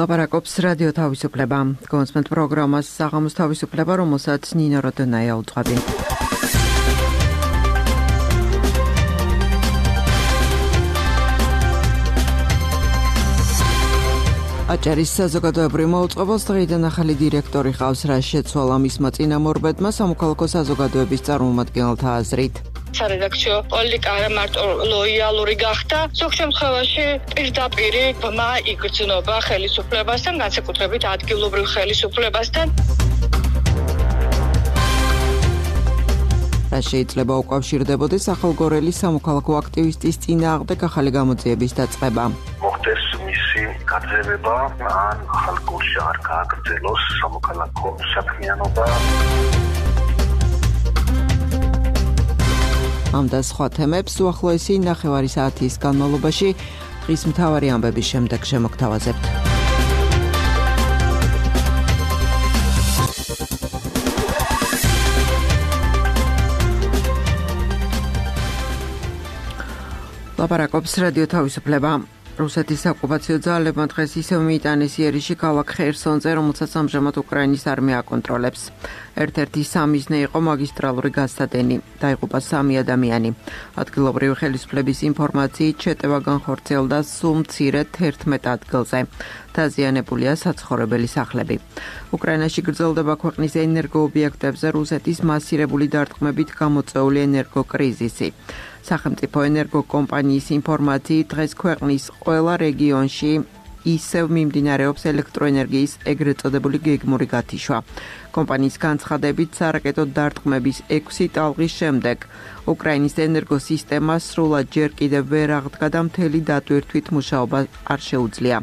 ლაპარაკობს რადიო თავისუფლება. გონსმენტ პროგრამას საღამოს თავისუფლება, რომელსაც ნინო როდონაია უძღვები. აჭარის საზოგადოებრივ მოუწყებელს დღეიდან ახალი დირექტორი ყავს, რაც შეცვალა მისმა წინამორბედმა სამოქალაქო საზოგადოების წარმომადგენელთა აზრით. სარედაქციო პოლიტიკა არა მარტო ლოიალური გახდა, ზოგ შემთხვევაში პირდაპირ ბმა იგრძნობა ხელისუფლებასთან, განსაკუთრებით ადგილობრივ ხელისუფლებასთან. რა შეიძლება უკავშირდებოდეს ახალგორელის სამოქალაქო აქტივისტის წინააღმდეგ ახალი გამოძიების დაწყება. მოხდეს მისი გაძევება, ან ახალგორში არ გააგრძელოს სამოქალაქო საქმიანობა. ამ და სხვა თემებს უახლოესი ნახევარი საათის განმავლობაში დღის მთავარი ამბების შემდეგ შემოგთავაზებთ. ლაპარაკობს რადიო თავისუფლება. რუსეთის ოკუპაციო ძალებმა დღეს ისევ მიიტანეს იერიში ქალაქ ხერსონზე, რომელსაც ამჟამად უკრაინის არმია აკონტროლებს. ერთ-ერთი სამიზნე იყო მაგისტრალური გასადენი. დაიღუპა 3 ადამიანი. ადგილობრივი ხელისუფლების ინფორმაციით შეტევა განხორციელდა სულ მცირედ 11 ადგილზე. დაზიანებულია საცხოვრებელი სახლები. უკრაინაში გრძელდება ქვეყნის ენერგოობიექტებზე რუსეთის მასირებული დარტყმებით გამოწვეული ენერგოკრიზისი. სახელმწიფო ენერგოკომპანიის ინფორმაციით დღეს ქვეყნის ყველა რეგიონში ისევ მიმდინარეობს ელექტროენერგიის ეგრეთ წოდებული გეგმური გათიშვა. კომპანიის განცხადებით სარაკეტო დარტყმების 6 ტალღის შემდეგ უკრაინის ენერგოსისტემა სრულად ჯერ კიდევ ვერ აღდგა და მთელი დატვირთვით მუშაობა არ შეუძლია.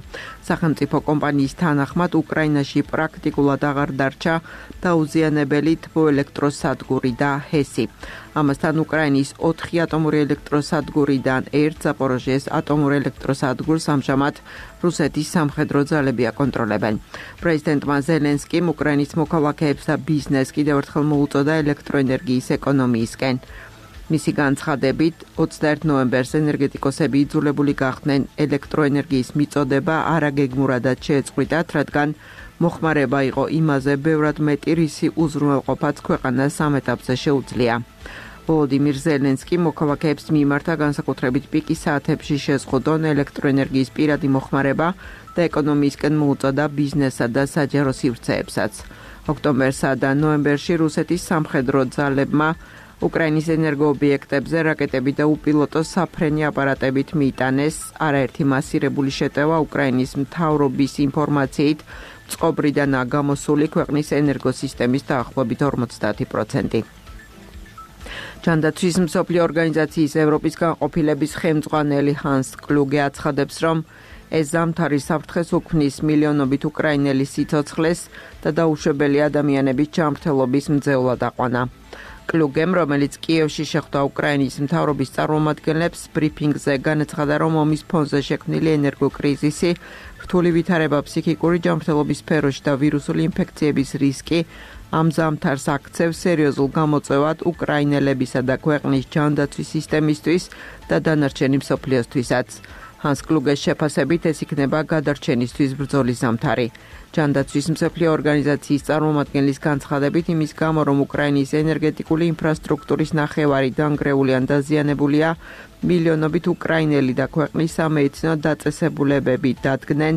სახელმწიფო კომპანიის თანახმად უკრაინაში პრაქტიკულად აღარ დარჩა დაუზიანებელი თბოელექტროსადგური და ჰესი. ამასთან უკრაინის 4 ატომური ელექტროსადგურიდან ერთ ზაპოროჟიეს ატომურ ელექტროსადგურს ამჟამად რუსეთის სამხედრო ძალები აკონტროლებენ. პრეზიდენტმა ზელენსკიმ უკრაინის მოქალაქეებს და ბიზნესს კიდევ ერთხელ მოუწოდა ელექტროენერგიის ეკონომიისკენ. მისი განცხადებით 21 ნოემბერს ენერგეტიკოსები იძულებული გახდნენ ელექტროენერგიის მიწოდება არაგეგმურადაც შეეწყვიტათ, რადგან მოხმარება იყო იმაზე ბევრად მეტი, რისი უზრუნველყოფაც ქვეყანას ამ ეტაპზე შეუძლია. ვოლოდიმირ ზელენსკი მოქალაქეებს მიმართა განსაკუთრებით პიკის საათებში შეზღუდონ ელექტროენერგიის პირადი მოხმარება და ეკონომიისკენ მოუწოდა ბიზნესსა და საჯარო სივრცეებსაც. ოქტომბერსა და ნოემბერში რუსეთის სამხედრო ძალებმა უკრაინის ენერგოობიექტებზე რაკეტები და უპილოტო საფრენი აპარატებით მიიტანეს. არაერთი მასირებული შეტევა უკრაინის მთავრობის ინფორმაციით წყობრიდანაა გამოსული ქვეყნის ენერგოსისტემის დაახლოებით 50%. ჯანდაცვის მსოფლიო ორგანიზაციის ევროპის განყოფილების ხელმძღვანელი ჰანს კლუგე აცხადებს, რომ ეს ზამთარი საფრთხეს უქმნის მილიონობით უკრაინელის სიცოცხლეს და დაუშვებელი ადამიანების ჯანმრთელობის მძევლად აყვანა. კლუგემ, რომელიც კიევში შეხვდა უკრაინის მთავრობის წარმომადგენლებს, ბრიფინგზე განაცხადა, რომ ომის ფონზე შექმნილი ენერგოკრიზისი, რთული ვითარება ფსიქიკური ჯანმრთელობის სფეროში და ვირუსული ინფექციების რისკი ამ ზამთარს აქცევს სერიოზულ გამოწვევად უკრაინელებისა და ქვეყნის ჯანდაცვის სისტემისთვის და დანარჩენი მსოფლიოსთვისაც. ჰანს კლუგეს შეფასებით ეს იქნება გადარჩენისთვის ბრძოლის ზამთარი. ჯანდაცვის მსოფლიო ორგანიზაციის წარმომადგენლის განცხადებით იმის გამო, რომ უკრაინის ენერგეტიკული ინფრასტრუქტურის ნახევარი დანგრეული ან დაზიანებულია, მილიონობით უკრაინელი და ქვეყნის სამედიცინო დაწესებულებები დადგნენ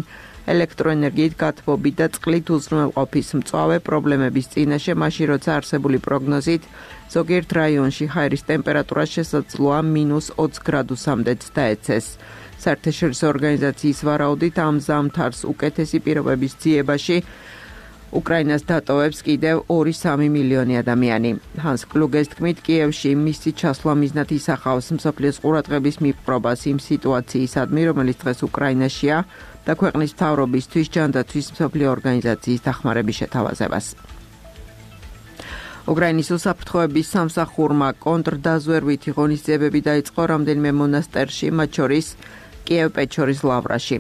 ელექტროენერგიით გათბობი და წყლით უზრუნველყოფის მწვავე პრობლემების წინაშე, მაშინ როცა არსებული პროგნოზით ზოგიერთ რაიონში ჰაერის ტემპერატურა შესაძლოა -20 გრადუსამდეც დაეცეს. საერთაშორისო ორგანიზაციის ვარაუდით ამ ზამთარს უკეთესი პირობების ძიებაში უკრაინას დატოვებს კიდევ 2-3 მილიონი ადამიანი. ჰანს კლუგეს თქმით, კიევში მისი ჩასვლა მიზნად ისახავს მსოფლიოს ყურადღების მიპყრობას იმ სიტუაციისადმი, რომელიც დღეს უკრაინაშია და ქვეყნის მთავრობისთვის ჯანდაცვის მსოფლიო ორგანიზაციის დახმარების შეთავაზებას. უკრაინის უსაფრთხოების სამსახურმა კონტრდაზვერვითი ღონისძიებები დაიწყო რამდენიმე მონასტერში, მათ შორის კიევ-პეჩორის ლავრაში.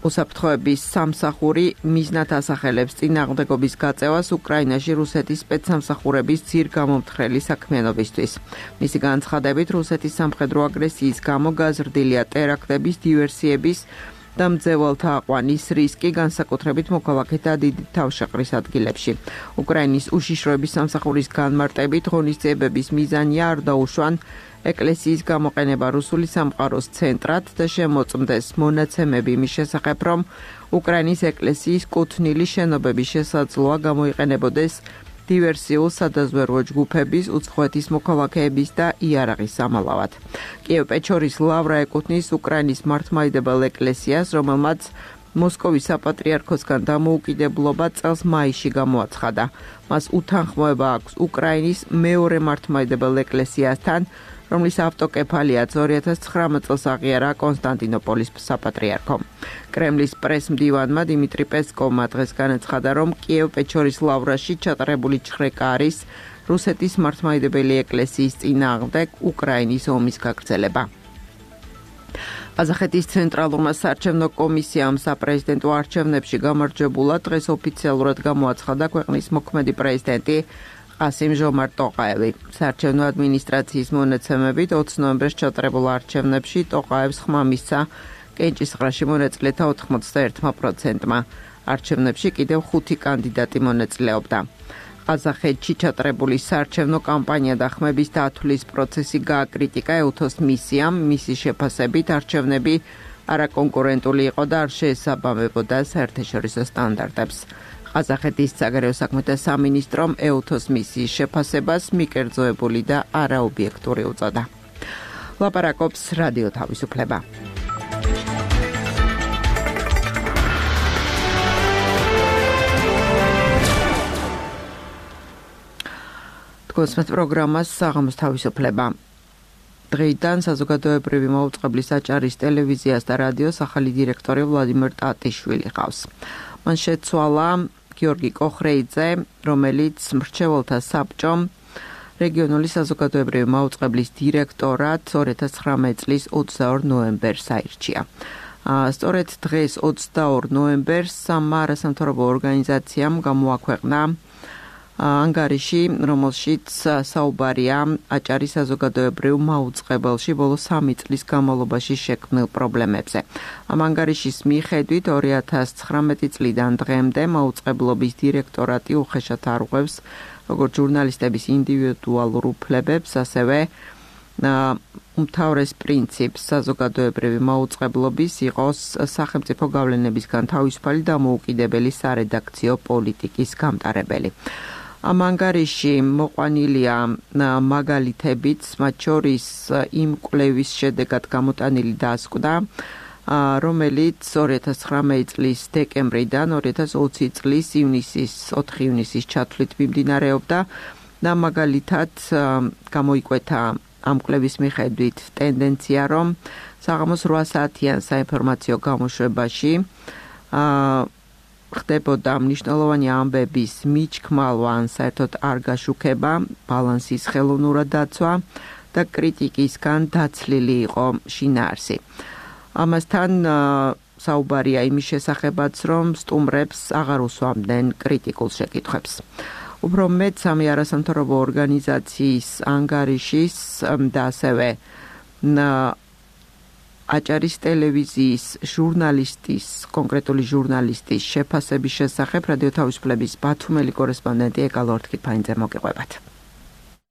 უსაფრთხოების სამსახური მიზნად ასახელებს წინააღმდეგობის გაწევას უკრაინაში რუსეთის სპეცსამსახურების ძირგამომთხრელი საქმიანობისთვის. მისი განცხადებით, რუსეთის სამხედრო აგრესიის გამო გაზრდილია ტერაქტების, დივერსიების და მძევალთა აყვანის რისკი, განსაკუთრებით მოქალაქეთა დიდი თავშეყრის ადგილებში. უკრაინის უშიშროების სამსახურის განმარტებით ღონისძიებების მიზანია არ დაუშვან ეკლესიის გამოყენება რუსული სამყაროს ცენტრად და შემოწმდეს მონაცემები იმის შესახებ, რომ უკრაინის ეკლესიის კუთვნილი შენობების შესაძლოა გამოიყენებოდეს დივერსიულ სადაზვერვო ჯგუფების, უცხოეთის მოქალაქეების და იარაღის სამალავად. კიევ-პეჩორის ლავრა ეკუთვნის უკრაინის მართლმადიდებელ ეკლესიას, რომელმაც მოსკოვის საპატრიარქოსგან დამოუკიდებლობა წელს მაისში გამოაცხადა. მას უთანხმოება აქვს უკრაინის მეორე მართლმადიდებელ ეკლესიასთან, რომლის ავტოკეფალიაც 2019 წელს აღიარა კონსტანტინოპოლის საპატრიარქომ. კრემლის პრესმდივანმა დიმიტრი პესკოვმა დღეს განაცხადა, რომ კიევ-პეჩორის ლავრაში ჩატარებული ჩხრეკა არის რუსეთის მართლმადიდებელი ეკლესიის წინააღმდეგ უკრაინის ომის გაგრძელება. ყაზახეთის ცენტრალურმა საარჩევნო კომისიამ საპრეზიდენტო არჩევნებში გამარჯვებულად დღეს ოფიციალურად გამოაცხადა ქვეყნის მოქმედი პრეზიდენტი ყასიმ-ჟომართ ტოყაევი. საარჩევნო ადმინისტრაციის მონაცემებით 20 ნოემბერს ჩატარებულ არჩევნებში ტოყაევს ხმა მისცა კენჭისყრაში მონაწილეთა 81%-მა. არჩევნებში კიდევ 5 კანდიდატი მონაწილეობდა. ყაზახეთში ჩატარებული საარჩევნო კამპანია და ხმების დათვლის პროცესი გააკრიტიკა ეუთოს მისიამ, მისი შეფასებით არჩევნები არაკონკურენტული იყო და არ შეესაბამებოდა საერთაშორისო სტანდარტებს. ყაზახეთის საგარეო საქმეთა სამინისტრომ ეუთოს მისიის შეფასებას მიკერძოებული და არაობიექტური უწოდა. ლაპარაკობს რადიო თავისუფლება. გოსმეთ პროგრამას საღამოს თავისუფლება. დღეიდან საზოგადოებრივი მაუწყებლის აჭარის ტელევიზიას და რადიოს ახალი დირექტორი ვლადიმერ ტატიშვილი ყავს. მან შეცვალა გიორგი კოხრეიძე, რომელიც მრჩეველთა საბჭომ რეგიონული საზოგადოებრივი მაუწყებლის დირექტორად 2019 წლის 22 ნოემბერს აირჩია. სწორედ დღეს 22 ნოემბერს სამმა არასამთავრობო ორგანიზაციამ გამოაქვეყნა ანგარიში, რომელშიც საუბარია აჭარის საზოგადოებრივ მაუწყებელში ბოლო 3 წლის განმავლობაში შექმნილ პრობლემებზე. ამ ანგარიშის მიხედვით 2019 წლიდან დღემდე მაუწყებლობის დირექტორატი უხეშად არღვევს როგორც ჟურნალისტების ინდივიდუალურ უფლებებს, ასევე უმთავრეს პრინციპს საზოგადოებრივი მაუწყებლობის იყოს სახელმწიფო გავლენებისგან თავისუფალი დამოუკიდებელი სარედაქციო პოლიტიკის გამტარებელი. ამ ანგარიში მოყვანილია მაგალითებიც, მათ შორის იმ კვლევის შედეგად გამოტანილი დასკვნა, რომელიც 2019 წლის დეკემბრიდან 2020 წლის 4 ივნისის ჩათვლით მიმდინარეობდა და მაგალითად გამოიკვეთა ამ კვლევის მიხედვით ტენდენცია, რომ საღამოს 8 საათიან საინფორმაციო გამოშვებაში ხდებოდა მნიშვნელოვანი ამბების მიჩქმალვა ან საერთოდ არ გაშუქება, ბალანსის ხელოვნურად დაცვა და კრიტიკისგან დაცლილი იყო შინაარსი. ამასთან საუბარია იმის შესახებაც, რომ სტუმრებს აღარ უსვამდნენ კრიტიკულ შეკითხვებს. უფრო მეტ სამი არასამთავრობო ორგანიზაციის ანგარიშის და ასევე აჭარის ტელევიზიის ჟურნალისტის, კონკრეტული ჟურნალისტის შეფასების შესახებ რადიო თავისუფლების ბათუმელი კორესპონდენტი ეკალო ორთქიფანიძე მოგიყვებათ.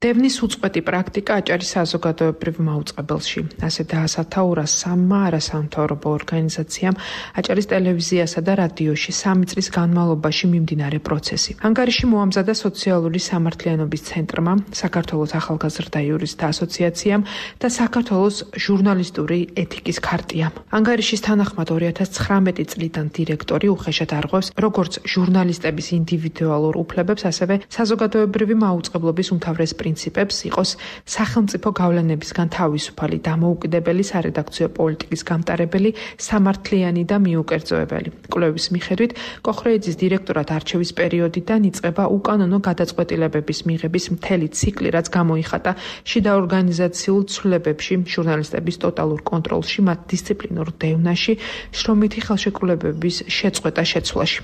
დევნის უწყვეტი პრაქტიკა აჭარის საზოგადოებრივ მაუწყებელში. ასე დაასათაურა სამმა არასამთავრობო ორგანიზაციამ აჭარის ტელევიზიასა და რადიოში 3 წლის განმავლობაში მიმდინარე პროცესი. ანგარიში მოამზადა სოციალური სამართლიანობის ცენტრმა, საქართველოს ახალგაზრდა იურისტთა ასოციაციამ და საქართველოს ჟურნალისტური ეთიკის ქარტიამ. ანგარიშის თანახმად 2019 წლიდან დირექტორი უხეშად არღვევს როგორც ჟურნალისტების ინდივიდუალურ უფლებებს, ასევე საზოგადოებრივი მაუწყებლობის უმთავრეს პრინციპებს იყოს სახელმწიფო გავლენებისგან თავისუფალი დამოუკიდებელი სარედაქციო პოლიტიკის გამტარებელი, სამართლიანი და მიუკერძოებელი. კვლევის მიხედვით კოხრეიძის დირექტორად არჩევის პერიოდიდან იწყება უკანონო გადაწყვეტილებების მიღების მთელი ციკლი, რაც გამოიხატა შიდა ორგანიზაციულ ცვლილებებში, ჟურნალისტების ტოტალურ კონტროლში, მათ დისციპლინურ დევნაში, შრომითი ხელშეკრულებების შეწყვეტა-შეცვლაში.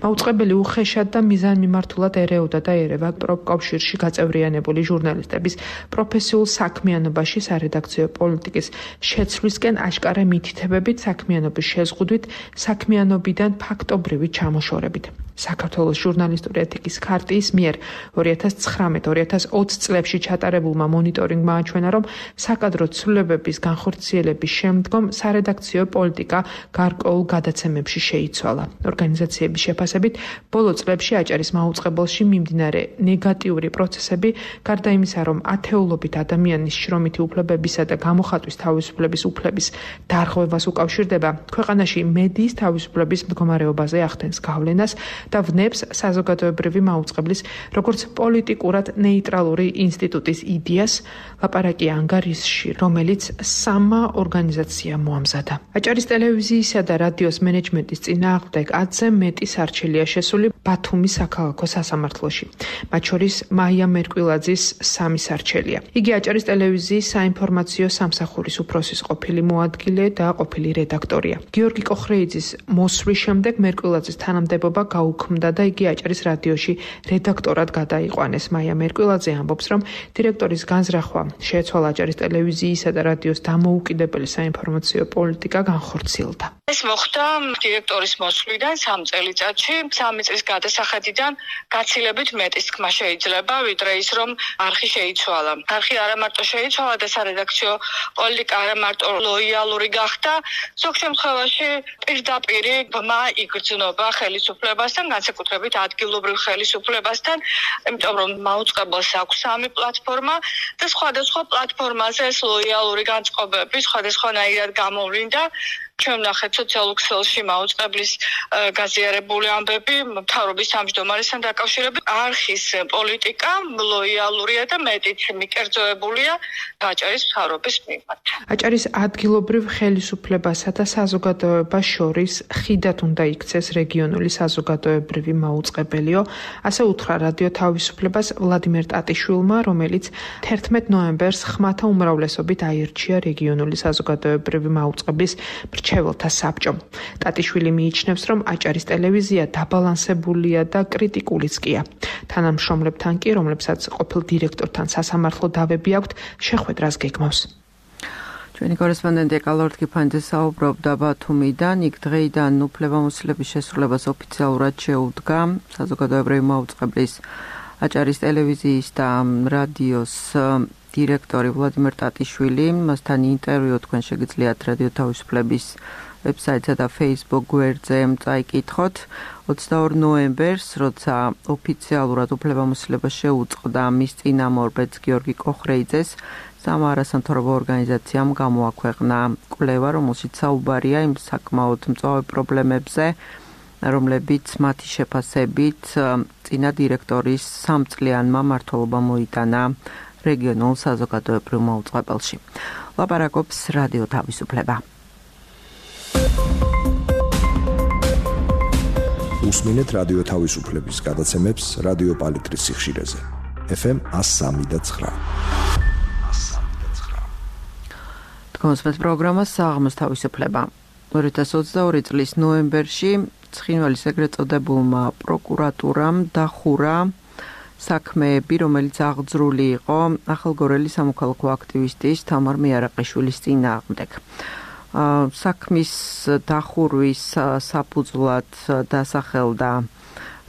მაუწყებელი უხეშად და მიზანმიმართულად ერეოდა და ერევა პროფკავშირში გაწევრიანებული ჟურნალისტების პროფესიულ საქმიანობაში სარედაქციო პოლიტიკის შეცვლისკენ აშკარა მითითებებით საქმიანობის შეზღუდვით, საქმიანობიდან ფაქტობრივი ჩამოშორებით. საქართველოს ჟურნალისტური ეთიკის ქარტიის მიერ 2019-2020 წლებში ჩატარებულმა მონიტორინგმა აჩვენა, რომ საკადრო ცვლილებების განხორციელების შემდგომ სარედაქციო პოლიტიკა გარკვეულ გადაცემებში შეიცვალა. ორგანიზაციების შეფასებით, ბოლო წლებში აჭარის მაუწყებელში მიმდინარე ნეგატიური პროცესები, გარდა იმისა, რომ ათეულობით ადამიანის შრომითი უფლებებისა და გამოხატვის თავისუფლების უფლების დარღვევას უკავშირდება, ქვეყანაში მედიის თავისუფლების მდგომარეობაზე ახდენს გავლენას და ვნებს საზოგადოებრივი მაუწყებლის როგორც პოლიტიკურად ნეიტრალური ინსტიტუტის იდეას, ლაპარაკი ანგარიშში, რომელიც სამმა ორგანიზაციამ მოამზადა. აჭარის ტელევიზიისა და რადიოს მენეჯმენტის წინააღმდეგ 10-ზე მეტი სარჩელია შესული ბათუმის საქალაქო სასამართლოში. მათ შორის მაია მერკვილაძის 3 სარჩელია. იგი აჭარის ტელევიზიის საინფორმაციო სამსახურის უფროსის ყოფილი მოადგილე და ყოფილი რედაქტორია. გიორგი კოხრეიძის მოსვლის შემდეგ მერკვილაძის თანამდებობა გაუქმდა და იგი აჭარის რადიოში რედაქტორად გადაიყვანეს. მაია მერკვილაძე ამბობს, რომ დირექტორის განზრახვა შეეცვალა აჭარის ტელევიზიისა და რადიოს დამოუკიდებელი საინფორმაციო პოლიტიკა განხორციელდა. ეს მოხდა დირექტორის მოსვლიდან 3 წელიწადში, 3 წლის გადასახადიდან გაცილებით მეტის თქმა შეიძლება, ვიდრე ის, რომ არხი შეიცვალა. არხი არა მარტო შეიცვალა და სარედაქციო პოლიტიკა არა მარტო ლოიალური გახდა, ზოგ შემთხვევაში პირდაპირ ბმა იგრძნობა ხელისუფლებასთან, განსაკუთრებით ადგილობრივ ხელისუფლებასთან, იმიტომ რომ მაუწყებელს აქვს 3 პლატფორმა და სხვადასხვა პლატფორმაზე ეს ლოიალური განწყობები სხვადასხვანაირად გამოვლინდა. ჩვენ ნახეთ სოციალურ ქსელში მაუწყებლის გაზიარებული ამბები მთავრობის თავმჯდომარესთან დაკავშირებით. არხის პოლიტიკა ლოიალურია და მეტიც მიკერძოებულია აჭარის მთავრობის მიმართ. აჭარის ადგილობრივ ხელისუფლებასა და საზოგადოებას შორის ხიდად უნდა იქცეს რეგიონული საზოგადოებრივი მაუწყებელიო, ასე უთხრა რადიო თავისუფლებას ვლადიმერ ტატიშვილმა, რომელიც 11 ნოემბერს ხმათა უმრავლესობით აირჩია რეგიონული საზოგადოებრივი მაუწყებლის მრჩეველთა საბჭომ. ტატიშვილი მიიჩნევს, რომ აჭარის ტელევიზია დაბალანსებულია და კრიტიკულიც კია. თანამშრომლებთან კი, რომლებსაც ყოფილ დირექტორთან სასამართლო დავები აქვთ, შეხვედრას გეგმავს. ჩვენი კორესპონდენტი კალორთ კიფანიძე საუბრობდა ბათუმიდან, იქ დღეიდან უფლებამოსილების შესრულებას ოფიციალურად შეუდგა საზოგადოებრივი მაუწყებლის აჭარის ტელევიზიის და რადიოს დირექტორი ვლადიმერ ტატიშვილი. მასთან ინტერვიუ თქვენ შეგიძლიათ რადიო თავისუფლების ვებსაიტსა და Facebook გვერდზე წაიკითხოთ. 22 ნოემბერს, როცა ოფიციალურად უფლებამოსილებას შეუწყდა მის წინამორბედს გიორგი კოხრეიძეს, სამა არასამთავრობო ორგანიზაციამ გამოაქვეყნა კვლევა, რომელშიც საუბარია იმ საკმაოდ მწვავე პრობლემებზე, რომლებიც მათი შეფასებით წინა დირექტორის 3 წლიანმა მმართველობა მოიტანა რეგიონულ საზოგადოებრივ მაუწყებელში. ლაპარაკობს რადიო თავისუფლება. უსმინეთ რადიო თავისუფლების გადაცემებს რადიო პალიტრის სიხშირეზე. FM 103.9. თქვენს პროგრამას საღამოს თავისუფლება. 2022 წლის ნოემბერში ცხინვალის ეგრეთ წოდებულმა პროკურატურამ დახურა საქმეები, რომელიც აღძრული იყო ახალგორელი სამოქალაქო აქტივისტის თამარ მიარაყიშვილის წინააღმდეგ. საქმის დახურვის საფუძვლად დასახელდა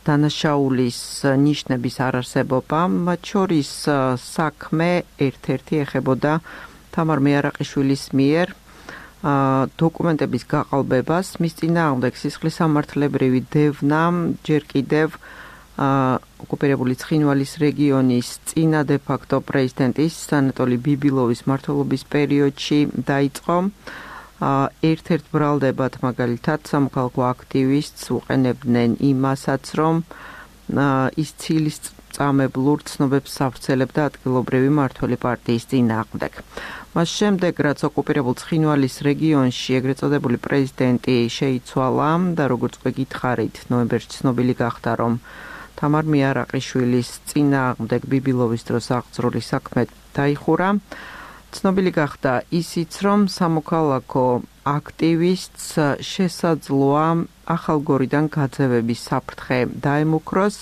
დანაშაულის ნიშნების არარსებობა, მათ შორის საქმე ერთ-ერთი ეხებოდა თამარ მიარაყიშვილის მიერ დოკუმენტების გაყალბებას, მის წინააღმდეგ სისხლისამართლებრივი დევნა ჯერ კიდევ ოკუპირებული ცხინვალის რეგიონის წინა დე-ფაქტო პრეზიდენტის ანატოლი ბიბილოვის მმართველობის პერიოდში დაიწყო. ერთ-ერთ ბრალდებად მაგალითად სამოქალაქო აქტივისტს უყენებდნენ იმასაც, რომ ის ცილის წამებლურ ცნობებს ავრცელებდა ადგილობრივი მმართველი პარტიის წინააღმდეგ. მას შემდეგ, რაც ოკუპირებულ ცხინვალის რეგიონში ეგრეთ წოდებული პრეზიდენტი შეიცვალა და როგორც გითხარით, ნოემბერში ცნობილი გახდა, რომ თამარ მიარაყიშვილის წინააღმდეგ ბიბილოვის დროს აღძრული საქმე დაიხურა. ცნობილი გახდა ისიც, რომ სამოქალაქო აქტივისტს შესაძლოა ახალგორიდან გაძევების საფრთხე დაემუქროს.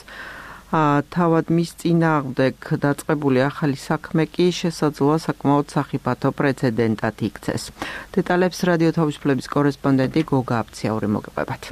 თავად მის წინააღმდეგ დაწყებული ახალი საქმე კი შესაძლოა საკმაოდ სახიფათო პრეცედენტად იქცეს. დეტალებს რადიო თავისუფლების კორესპონდენტი გოგა აფციაური მოგებებათ.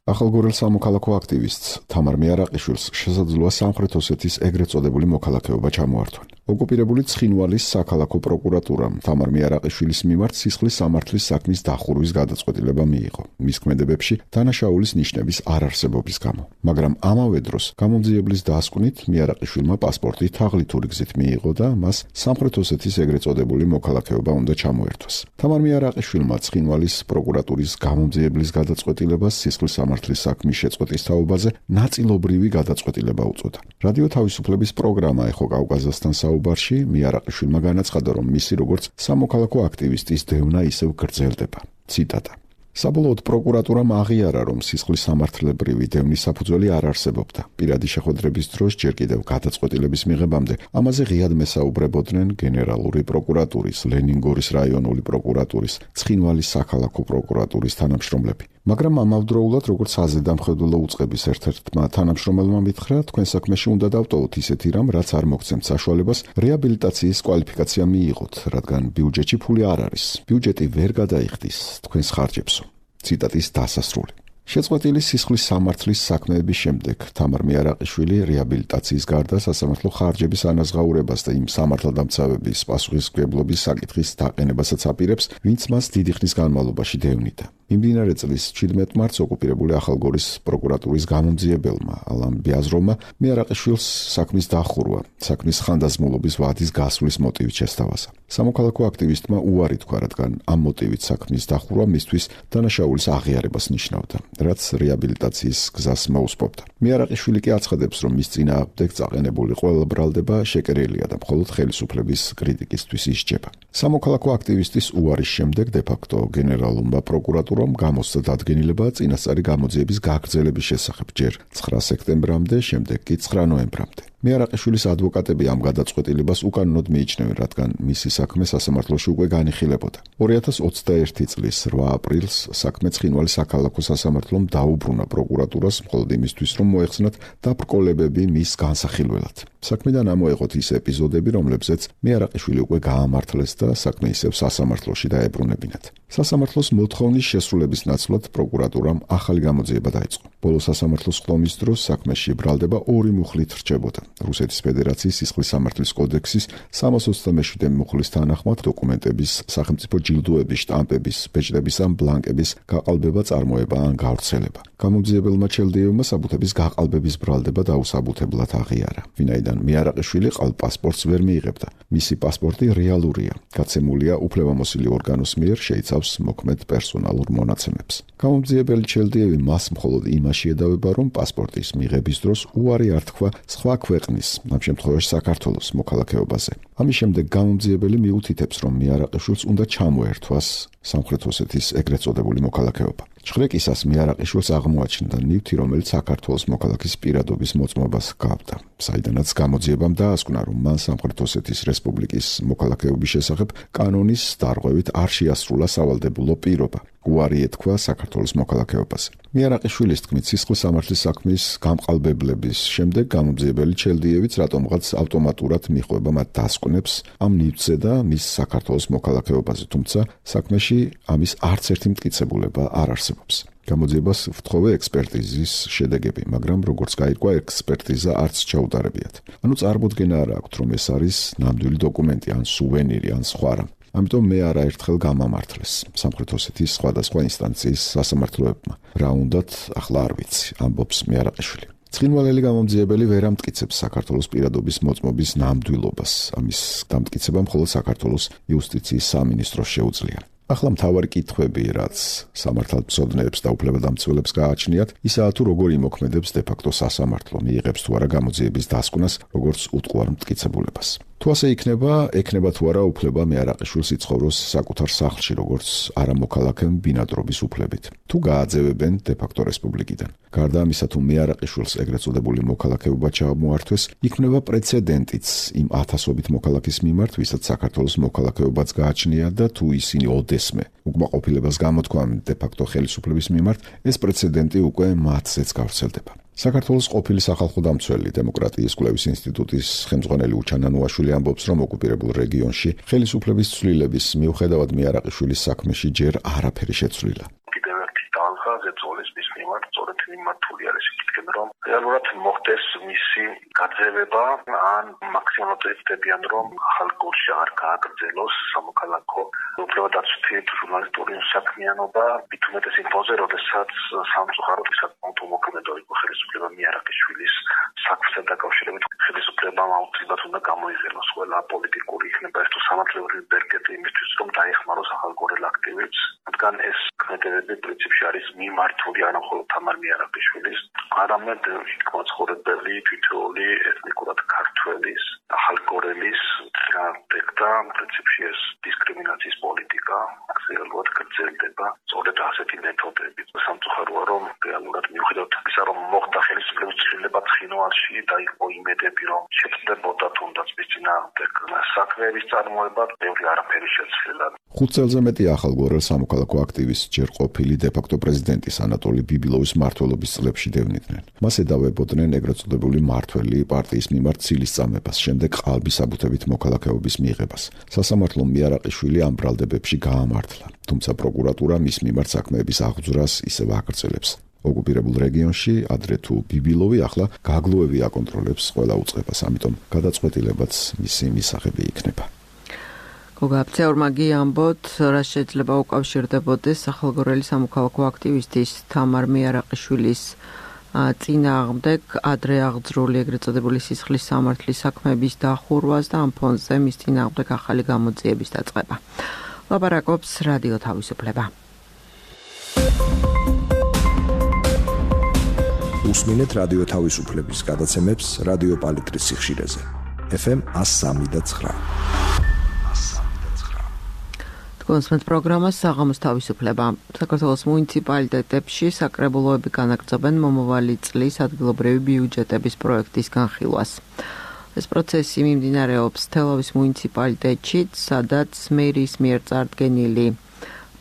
ახალგორელ სამოქალაქო აქტივისტს თამარ მიარაყიშვილს შესაძლოა სამხრეთ ოსეთის ეგრეთ წოდებული მოქალაქეობა ჩამოართვა. ოკუპირებული ცხინვალის საქალაქო პროკურატურამ თამარ მიარაყიშვილის მიმართ სისხლის სამართლის საქმის დახურვის გადაწყვეტილება მიიღო. მის ქმედებებში დანაშაულის ნიშნების არარსებობის გამო. მაგრამ ამავე დროს გამომძიებლის დასკვნით მიარაყიშვილმა პასპორტი თაღლითური გზით მიიღო და მას სამხრეთ ოსეთის ეგრეთ წოდებული მოქალაქეობა უნდა ჩამოერთვას. თამარ მიარაყიშვილმა ცხინვალის პროკურატურის გამომძიებლის გადაწყვეტილებას სისხლის სამართლის საქმის შეწყვეტის თაობაზე ნაწილობრივი გადაწყვეტილება უწოდა. რადიო თავისუფლების პროგრამა ეხო კავკაზასთან საუბარში მიარაყიშვილმა განაცხადა, რომ მისი როგორც სამოქალაქო აქტივისტის დევნა ისევ გრძელდება. ციტატა: საბოლოოდ პროკურატურამ აღიარა, რომ სისხლის სამართლებრივი დევნის საფუძველი არ არსებობდა. პირადი შეხვედრების დროს ჯერ კიდევ გადაწყვეტილების მიღებამდე ამაზე ღიად მესაუბრებოდნენ გენერალური პროკურატურის, ლენინგორის რაიონული პროკურატურის, ცხინვალის საქალაქო პროკურატურის თანამშრომლები. მაგრამ ამავდროულად, როგორც საზედამხედველო უწყების ერთ-ერთმა თანამშრომელმა მითხრა, თქვენ საქმეში უნდა დავტოვოთ ისეთი რამ, რაც არ მოგცემთ საშუალებას რეაბილიტაციის კვალიფიკაცია მიიღოთ, რადგან ბიუჯეტში ფული არ არის. ბიუჯეტი ვერ გადაიხდის თქვენს ხარჯებსო. ციტატის დასასრული. შეწყვეტილი სისხლის სამართლის საქმეების შემდეგ თამარ მიარაყიშვილი რეაბილიტაციის გარდა სასამართლო ხარჯების ანაზღაურებას და იმ სამართალდამცავების პასუხისმგებლობის საკითხის დაყენებასაც აპირებს, ვინც მას დიდი ხნის განმავლობაში დევნიდა. მიმდინარე წლის 17 მარტს ოკუპირებული ახალგორის პროკურატურის გამომძიებელმა ალან ბიაზროვმა მიარაყიშვილს საქმის დახურვა, საქმის ხანდაზმულობის ვადის გასვლის მოტივით შესთავაზა. სამოქალაქო აქტივისტმა უარი თქვა, რადგან ამ მოტივით საქმის დახურვა მისთვის დანაშაულის აღიარებას ნიშნავდა, რაც რეაბილიტაციის გზას მოუსპობდა. მიარაყიშვილი კი აცხადებს, რომ მის წინააღმდეგ წაყენებული ყველა ბრალდება შეკერილია და მხოლოდ ხელისუფლების კრიტიკისთვის ისჯება. სამოქალაქო აქტივისტის უარის შემდეგ დე-ფაქტო გენერალურმა პროკურატურამ გამოსცა დადგენილება წინასწარი გამოძიების გაგრძელების შესახებ ჯერ 9 სექტემბრამდე, შემდეგ კი 9 ნოემბრამდე. მიარაყიშვილის ადვოკატები ამ გადაწყვეტილებას უკანონოდ მიიჩნევენ, რადგან მისი საქმე სასამართლოში უკვე განიხილებოდა. 2021 წლის 8 აპრილს საქმე ცხინვალის საქალაქო სასამართლომ დაუბრუნა პროკურატურას მხოლოდ იმისთვის, რომ მოეხსნათ დაბრკოლებები მის განსახილველად. საქმიდან ამოეღოთ ის ეპიზოდები, რომლებზეც მიარაყიშვილი უკვე გაამართლეს და საქმე ისევ სასამართლოში დაებრუნებინათ. სასამართლოს მოთხოვნის შესრულების ნაცვლად პროკურატურამ ახალი გამოძიება დაიწყო. ბოლო სასამართლოს ხდომის დროს საქმეში ბრალდება 2 მუხლით რჩებოდა. რუსეთის ფედერაციის სისხლის სამართლის კოდექსის 327 მუხლის თანახმად დოკუმენტების, სახელმწიფო ჯილდოების, შტამპების, ბეჭდების ან ბლანკების გაყალბება, წარმოება ან გავრცელება. გამომძიებელმა ჩელდიევმა საბუთების გაყალბების ბრალდება დაუსაბუთებლად აღიარა, ვინაიდან მიარაყიშვილი ყალბ პასპორტს ვერ მიიღებდა. მისი პასპორტი რეალურია, გაცემულია უფლებამოსილი ორგანოს მიერ, შეიცავს მოქმედ პერსონალურ მონაცემებს. გამომძიებელი ჩელდიევი მას მხოლოდ იმაში ედავება, რომ პასპორტის მიღების დროს უარი არ თქვა სხვა ქვეყნის, ამ შემთხვევაში საქართველოს მოქალაქეობაზე. ამის შემდეგ გამომძიებელი მიუთითებს, რომ მიარაყიშვილს უნდა ჩამოერთვას სამხრეთ ოსეთის ეგრეთ წოდებული მოქალაქეობა. ჭხრეკისას მიარაყიშვილს აღმოაჩნდა ნივთი, რომელიც საქართველოს მოქალაქის პირადობის მოწმობას ჰგავდა. საიდანაც გამოძიებამ დაასკვნა, რომ მან სამხრეთ ოსეთის რესპუბლიკის მოქალაქეობის შესახებ კანონის დარღვევით არ შეასრულა სავალდებულო პირობა. უარი ეთქვა საქართველოს მოქალაქეობაზე. მიარაყიშვილის თქმით, სისხლის სამართლის საქმის გამყალბებლების შემდეგ გამომძიებელი ჩელდიევიც რატომღაც ავტომატურად მიხვება მათ დასკვნებს ამ ნივთზე და მის საქართველოს მოქალაქეობაზე, თუმცა საქმეში ამის არც ერთი მტკიცებულება არ არსებობს. გამოძიებას ვთხოვე ექსპერტიზის შედეგები, მაგრამ როგორც გაირკვა, ექსპერტიზა არც ჩაუდარებიათ. ანუ წარმოდგენა არ აქვთ, რომ ეს არის ნამდვილი დოკუმენტი ან სუვენირი ან სხვა რამ. ამიტომ მე არაერთხელ გამამართლეს სამხრეთ ოსეთის სხვადასხვა ინსტანციის სასამართლოებმა. რა უნდათ, ახლა არ ვიცი, ამბობს მიარაყიშვილი. ცხინვალელი გამომძიებელი ვერ ამტკიცებს საქართველოს პირადობის მოწმობის ნამდვილობას. ამის დამტკიცება მხოლოდ საქართველოს იუსტიციის სამინისტროს შეუძლია. ახლა მთავარი კითხვები, რაც სამართალმცოდნეებს და უფლებადამცველებს გააჩნიათ, ისაა თუ როგორ იმოქმედებს დე-ფაქტო სასამართლო, მიიღებს თუ არა გამოძიების დასკვნას, როგორც უტყუარ მტკიცებულებას. თუ ასე ექნება თუ არა უფლება მიარაყიშვილს იცხოვროს საკუთარ სახლში, როგორც არამოქალაქემ ბინადრობის უფლებით. თუ გააძევებენ დე-ფაქტო რესპუბლიკიდან. გარდა ამისა, თუ მიარაყიშვილს ეგრეთ წოდებული მოქალაქეობა ჩამოართვეს, იქმნება პრეცედენტიც იმ ათასობით მოქალაქის მიმართ, ვისაც საქართველოს მოქალაქეობაც გააჩნია და თუ ისინი ოდესმე უკმაყოფილებას გამოთქვამენ დე-ფაქტო ხელისუფლების მიმართ, ეს პრეცედენტი უკვე მათზეც გავრცელდება. საქართველოს ყოფილი სახალხო დამცველი დემოკრატიის კვლევის ინსტიტუტის ხელმძღვანელი უჩან ანუაშვილი ამბობს, რომ ოკუპირებულ რეგიონში ხელისუფლების ცვლილების მიუხედავად მიარაყიშვილის საქმეში ჯერ არაფერი შეცვლილა. ზეწოლის მის მიმართ სწორედ მიმართული არის იკითხენ, რომ რეალურად მოხდეს მისი გაძევება ან მაქსიმალურად ეცდებიან, რომ ახალ გულში არ გააგრძელოს სამოქალაქო უფლებადაცვითი ჟურნალისტური საქმიანობა, მით უმეტეს იმ ფონზე, როდესაც სამწუხაროდ საკმაოდ უმოქმედო იყო ხელისუფლება მიარაყიშვილის საქმესთან დაკავშირებით. ხელისუფლებამ აუცილებლად უნდა გამოიყენოს ყველა პოლიტიკური იქნება ეს თუ სამართლებრივი ბერკეტი იმისთვის, რომ დაეხმაროს ახალგორელ აქტივებს, რადგან ეს ქმედებები პრინციპში არის მიმართული არა მხოლოდ თამარ მიარაყიშვილის, არამედ მოძღვრებელი თითოეული ეთნიკურად ქართველის, ახალგორელის და პრინციპში ეს დისკრიმინაციის პოლიტიკა აქტიურად გრძელდება. სწორედ ასეთი მეთოდებით სამწუხაროა, რომ რეალურად მიუხედავად ისა, რომ მოხდა ხელისუფლების ცვლილება ცხინვალში და იყო იმედები, რომ შეწყდებოდა თუნდაც მის წინააღმდეგ საქმეების წარმოება, ბევრი არაფერი შეცვლილა. 5 წელზე მეტი ახალგორელ სამოქალაქო აქტივისტს ჯერ ყოფილი დე-ფაქტო პრეზიდენტის ანატოლი ბიბილოვის მმართველობის წლებში დევნიდნენ. მას ედავებოდნენ ეგრეთ წოდებული მმართველი პარტიის მიმართ ცილის წამებას, შემდეგ ყალბის აბუთებით მოქალაქეობის მიღებას. სასამართლომ მიარაყიშვილი ამ ბრალდებებში გაამართლა, თუმცა პროკურატურა მის მიმართ საქმეების აღძვრას ისევ აგრძელებს. ოკუპირებულ რეგიონში ადრე თუ ბიბილოვი, ახლა გაგლუევი აკონტროლებს ყველა უწყებას, ამიტომ გადაწყვეტილებაც მისი მისაღები იქნება. გოგაბცეორმა გიამბოთ, რა შეიძლება უკავშირდებოდეს ახალგორელი სამოქალაქო აქტივისტის თამარ მიარაყიშვილის წინააღმდეგ ადრე აღძრული ეგრეთ წოდებული სისხლის სამართლის საქმეების დახურვას და ამ ფონზე მის წინააღმდეგ ახალი გამოძიების დაწყება. ლაპარაკობს რადიო თავისუფლება. უსმინეთ რადიო თავისუფლების გადაცემებს რადიო პალიტრის სიხშირეზე. FM 103.9. კონსმეთ პროგრამას საღამოს თავისუფლება. საქართველოს მუნიციპალიტეტებში საკრებულოები განაგრძობენ მომავალი წლის ადგილობრივი ბიუჯეტების პროექტის განხილვას. ეს პროცესი მიმდინარეობს თელავის მუნიციპალიტეტში, სადაც მერის მიერ წარდგენილი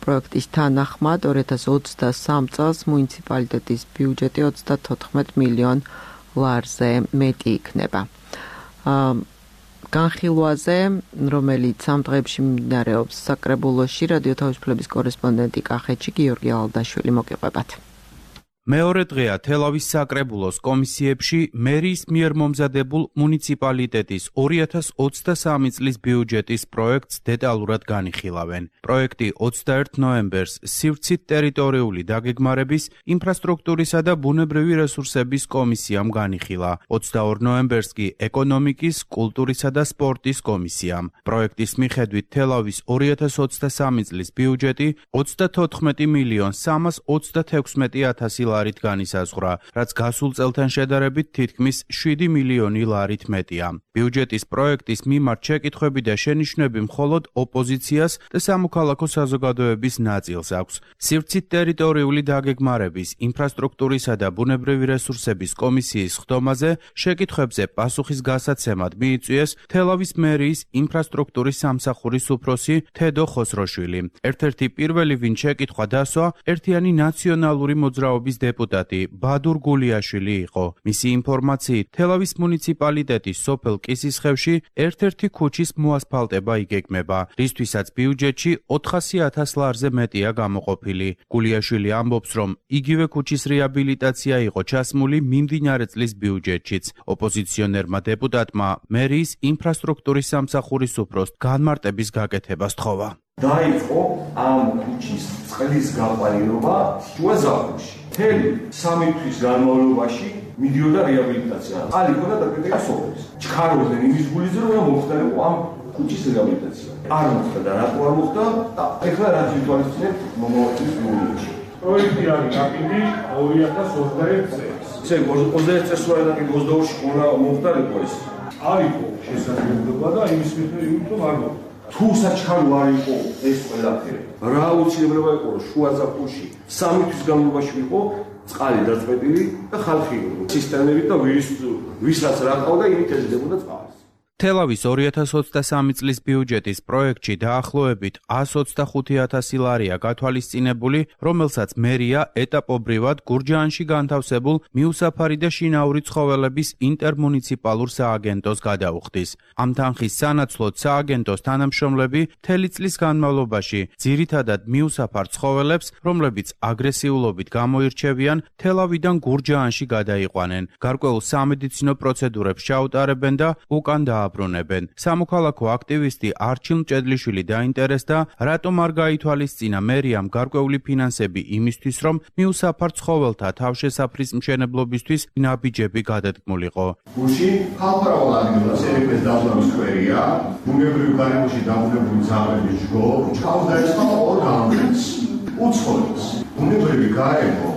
პროექტის თანახმად 2023 წელს მუნიციპალიტეტის ბიუჯეტი 34 მილიონ ლარზე მეტი იქნება. განხილვაზე, რომელიც ამ დღეებში მიმდინარეობს საკრებულოში, რადიო თავისუფლების კორესპონდენტი კახეთში გიორგი ალდაშვილი მოგიყვებათ. მეორე დღეა თელავის საკრებულოს კომისიებში მერის მიერ მომზადებულ მუნიციპალიტეტის 2023 წლის ბიუჯეტის პროექტს დეტალურად განიხილავენ. პროექტი 21 ნოემბერს სივრცით ტერიტორიული დაგეგმარების, ინფრასტრუქტურისა და ბუნებრივი რესურსების კომისიამ განიხილა. 22 ნოემბერს კი ეკონომიკის, კულტურისა და სპორტის კომისიამ. პროექტის მიხედვით თელავის 2023 წლის ბიუჯეტი 34 მილიონ 336,000 ლარით განისაზღვრა, რაც გასულ წელთან შედარებით თითქმის 7 მილიონი ლარით მეტია. ბიუჯეტის პროექტის მიმართ შეკითხვები და შენიშვნები მხოლოდ ოპოზიციას და სამოქალაქო საზოგადოების ნაწილს აქვს. სივრცით ტერიტორიული დაგეგმარების, ინფრასტრუქტურისა და ბუნებრივი რესურსების კომისიის ხდომაზე შეკითხვებზე პასუხის გასაცემად მიიწვიეს თელავის მერიის ინფრასტრუქტურის სამსახურის უფროსი თედო ხოსროშვილი. ერთ-ერთი პირველი, ვინ შეკითხვა დასვა, ერთიანი ნაციონალური მოძრაობის დეპუტატი ბადურ გულიაშვილი იყო. მისი ინფორმაციით, თელავის მუნიციპალიტეტის სოფელ კისისხევში ერთ-ერთი ქუჩის მოასფალტება იგეგმება, რისთვისაც ბიუჯეტში 400,000 ლარზე მეტია გამოყოფილი. გულიაშვილი ამბობს, რომ იგივე ქუჩის რეაბილიტაცია იყო ჩასმული მიმდინარე წლის ბიუჯეტშიც. ოპოზიციონერმა დეპუტატმა მერიის ინფრასტრუქტურის სამსახურის უფროსს განმარტების გაკეთება სთხოვა. დაიწყო ამ ქუჩის წყლის გაყვანილობა შუა ზაფხულში. მთელი 3 თვის განმავლობაში მიდიოდა რეაბილიტაცია. წყალი ქონდა დაკეტილი სოფლის. ჩქარობდნენ იმის გულიზე, რომ მოხდარიყო ამ ქუჩის რეაბილიტაცია. არ მოხდა და რატო არ მოხდა? და ეხლა რა თვითონიცნებ მომავალ ბიუჯეტში. პროექტი არის გაკეთილი 2021 წელს. ესე 21 წელს ვარ და 22-ში უნდა მოხდარიყო ეს. არისო შესაძლებლობა და იმის მიხედვით არ მოხდა. თუ საჩქარო არ იყო ეს ყველაფერი, რა აუცილებლობა იყო, რომ შუა ზაფხულში 3 თვის განმავლობაში იყო წყალი დაწყვეტილი და ხალხი სისტემებით და ვისაც რა ყავდა, იმით ეძებოდა წყალს. თელავის 2023 წლის ბიუჯეტის პროექტში დაახლოებით 125,000 ლარია გათვალისწინებული, რომელსაც მერია ეტაპობრივად გურჯაანში განთავსებულ მიუსაფარი და შინაური ცხოველების ინტერმუნიციპალურ სააგენტოს გადაუხდის. ამ თანხის სანაცვლოდ სააგენტოს თანამშრომლები მთელი წლის განმავლობაში ძირითადად მიუსაფარ ცხოველებს, რომლებიც აგრესიულობით გამოირჩევიან, თელავიდან გურჯაანში გადაიყვანენ. გარკვეულ სამედიცინო პროცედურებს ჩაუტარებენ და უკან დააბრუნებენ. სამოქალაქო აქტივისტი არჩილ მჭედლიშვილი დაინტერესდა, რატომ არ გაითვალისწინა მერიამ გარკვეული ფინანსები იმისთვის, რომ მიუსაფარ ცხოველთა თავშესაფრის მშენებლობისთვის ნაბიჯები გადადგმულიყო. გუშინ ხალხმრავალ ადგილას ერეფეს დაბლობის სკვერია, ბუნებრივ გარემოში დაბრუნებული ძაღლების ჯგო, ჩავს დაიწყო ორ გამგეც. უცხოებს. ბუნებრივი გარემო,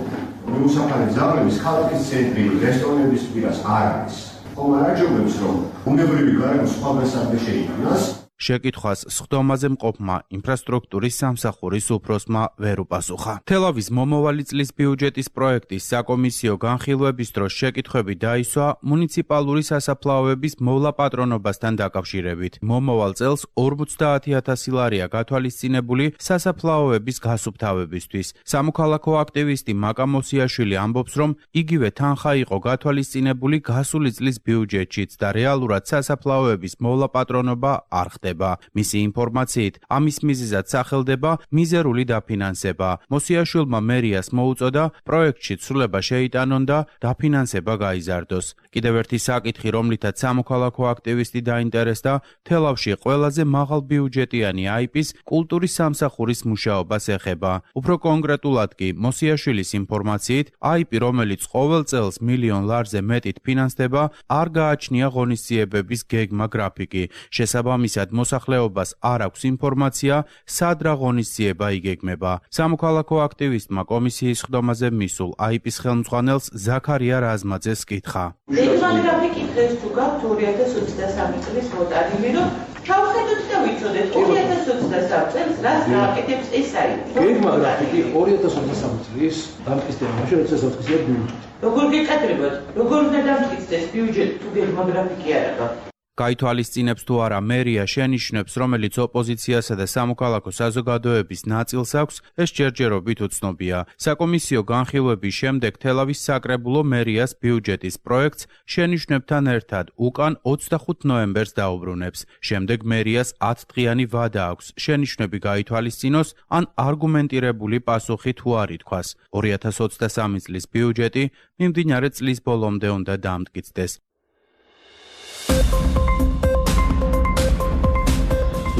მიუსაფარი ძაღლების ქალაქის ცენტრი, რესტორნების პირას არ არის. ხომ არ აჯობებს, რომ ბუნებრივი გარემო სხვადასხვა შეიქმნას? შეკითხვას სხდომაზე მყოფმა ინფრასტრუქტურის სამსახურის უფროსმა ვერ უპასუხა. თელავის მომავალი წლის ბიუჯეტის პროექტის საკომისიო განხილვების დროს შეკითხვები დაისვა მუნიციპალური სასაფლაოების მოვლა-პატრონობასთან დაკავშირებით. მომავალ წელს 50,000 ლარია გათვალისწინებული სასაფლაოების გასუფთავებისთვის. სამოქალაქო აქტივისტი მაკა მოსიაშვილი ამბობს, რომ იგივე თანხა იყო გათვალისწინებული გასული წლის ბიუჯეტშიც და რეალურად სასაფლაოების მოვლა-პატრონობა არ ხდება. მისი ინფორმაციით, ამის მიზეზად სახელდება მიზერული დაფინანსება. მოსიაშვილმა მერიას მოუწოდა პროექტში ცვლილება შეიტანონ და დაფინანსება გაიზარდოს. კიდევ ერთი საკითხი, რომლითაც სამოქალაქო აქტივისტი დაინტერესდა, თელავში ყველაზე მაღალ ბიუჯეტიანი აიპის კულტურის სამსახურის მუშაობას ეხება. უფრო კონკრეტულად კი, მოსიაშვილის ინფორმაციით, აიპი, რომელიც ყოველ წელს $1,000,000 ლარზე მეტით ფინანსდება, არ გააჩნია ღონისძიებების გეგმა გრაფიკი. შესაბამისად, მოსახლეობას არ აქვს ინფორმაცია, სად რა ღონისძიება იგეგმება. სამოქალაქო აქტივისტმა კომისიის სხდომაზე მისულ აიპის ხელმძღვანელს ზაქარია რაზმაძეს კითხა. გეგმა გრაფიკი დღეს თუ გაქვთ 2023 წლის მოტანილი, რომ ჩავხედოთ და ვიცოდეთ 2023 წელს რას გააკეთებს ეს აიპი. გეგმა გრაფიკი 2023 წლის დამტკიცდება, მაშინ როცა დამტკიცდება ბიუჯეტი. როგორ გეკადრებათ? როგორ უნდა დამტკიცდეს ბიუჯეტი თუ გეგმა გრაფიკი არ აქვს? გაითვალისწინებს თუ არა მერია შენიშვნებს, რომელიც ოპოზიციასა და სამოქალაქო საზოგადოების ნაწილს აქვს, ეს ჯერჯერობით უცნობია. საკომისიო განხილვების შემდეგ თელავის საკრებულო მერიას ბიუჯეტის პროექტს შენიშვნებთან ერთად უკან 25 ნოემბერს დაუბრუნებს. შემდეგ მერიას 10 დღიანი ვადა აქვს შენიშვნები გაითვალისწინოს ან არგუმენტირებული პასუხი თუ არ ითქვას. 2023 წლის ბიუჯეტი მიმდინარე წლის ბოლომდე უნდა დამტკიცდეს.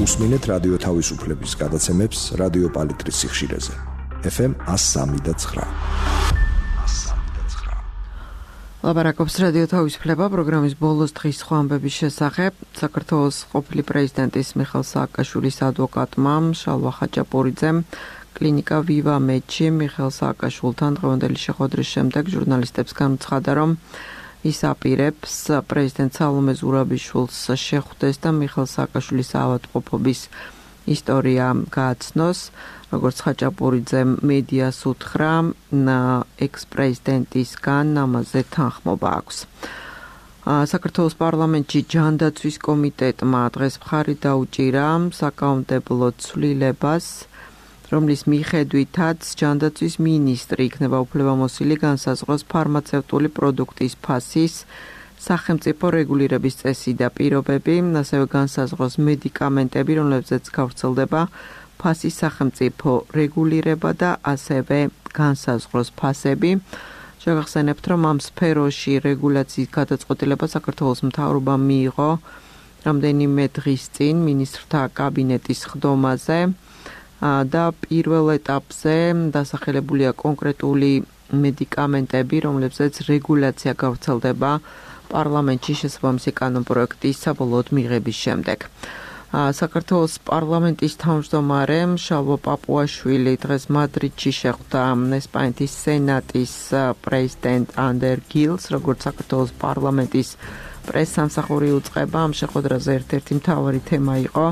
უსმინეთ რადიო თავისუფლების გადაცემებს რადიო პალიტრის სიხშირეზე. FM 103.9. ლაპარაკობს რადიო თავისუფლება პროგრამის ბოლოს დღის სხვა ამბების შესახებ. საქართველოს ყოფილი პრეზიდენტის მიხეილ სააკაშვილის ადვოკატმა შალვა ხაჭაპურიძემ კლინიკა ვივა მედში მიხეილ სააკაშვილთან დღევანდელი შეხვედრის შემდეგ ჟურნალისტებს განაცხადა, რომ ის აპირებს პრეზიდენტ სალომე ზურაბიშვილს შეხვდეს და მიხეილ სააკაშვილის ავადმყოფობის ისტორია გააცნოს. როგორც ხაჭაპურიძემ მედიას უთხრა, ექს-პრეზიდენტისგან ამაზე თანხმობა აქვს. საქართველოს პარლამენტში ჯანდაცვის კომიტეტმა დღეს მხარი დაუჭირა საკანონმდებლო ცვლილებას, რომლის მიხედვითაც ჯანდაცვის მინისტრი იქნება უფლებამოსილი განსაზღვროს ფარმაცევტული პროდუქტის ფასის სახელმწიფო რეგულირების წესი და პირობები, ასევე განსაზღვროს მედიკამენტები, რომლებზეც გავრცელდება ფასის სახელმწიფო რეგულირება და ასევე განსაზღვროს ფასები. შეგახსენებთ, რომ ამ სფეროში რეგულაციის გადაწყვეტილება საქართველოს მთავრობამ მიიღო რამდენიმე დღის წინ მინისტრთა კაბინეტის სხდომაზე. და პირველ ეტაპზე დასახელებულია კონკრეტული მედიკამენტები, რომლებზეც რეგულაცია გავრცელდება პარლამენტში შესაბამისი კანონპროექტის საბოლოოდ მიღების შემდეგ. საქართველოს პარლამენტის თავმჯდომარე შალვა პაპუაშვილი დღეს მადრიდში შეხვდა ესპანეთის სენატის პრეზიდენტ ანდერ გილს, როგორც საქართველოს პარლამენტის პრესსამსახური უწყება. ამ შეხვედრაზე ერთ-ერთი მთავარი თემა იყო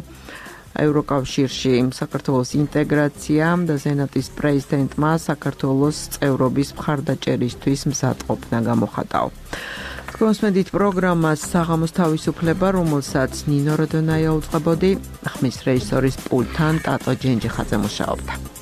ევროკავშირში საქართველოს ინტეგრაცია და სენატის პრეზიდენტმა საქართველოს წევრობის მხარდაჭერისთვის მზადყოფნა გამოხატაო. მოსმენთ პროგრამას საღამოს თავისუფლება, რომელსაც ნინო როდონაია უწყებოდი, ხმის რეჟისორის პულტთან ტატო ჯენჯიხაძე მუშაობდა.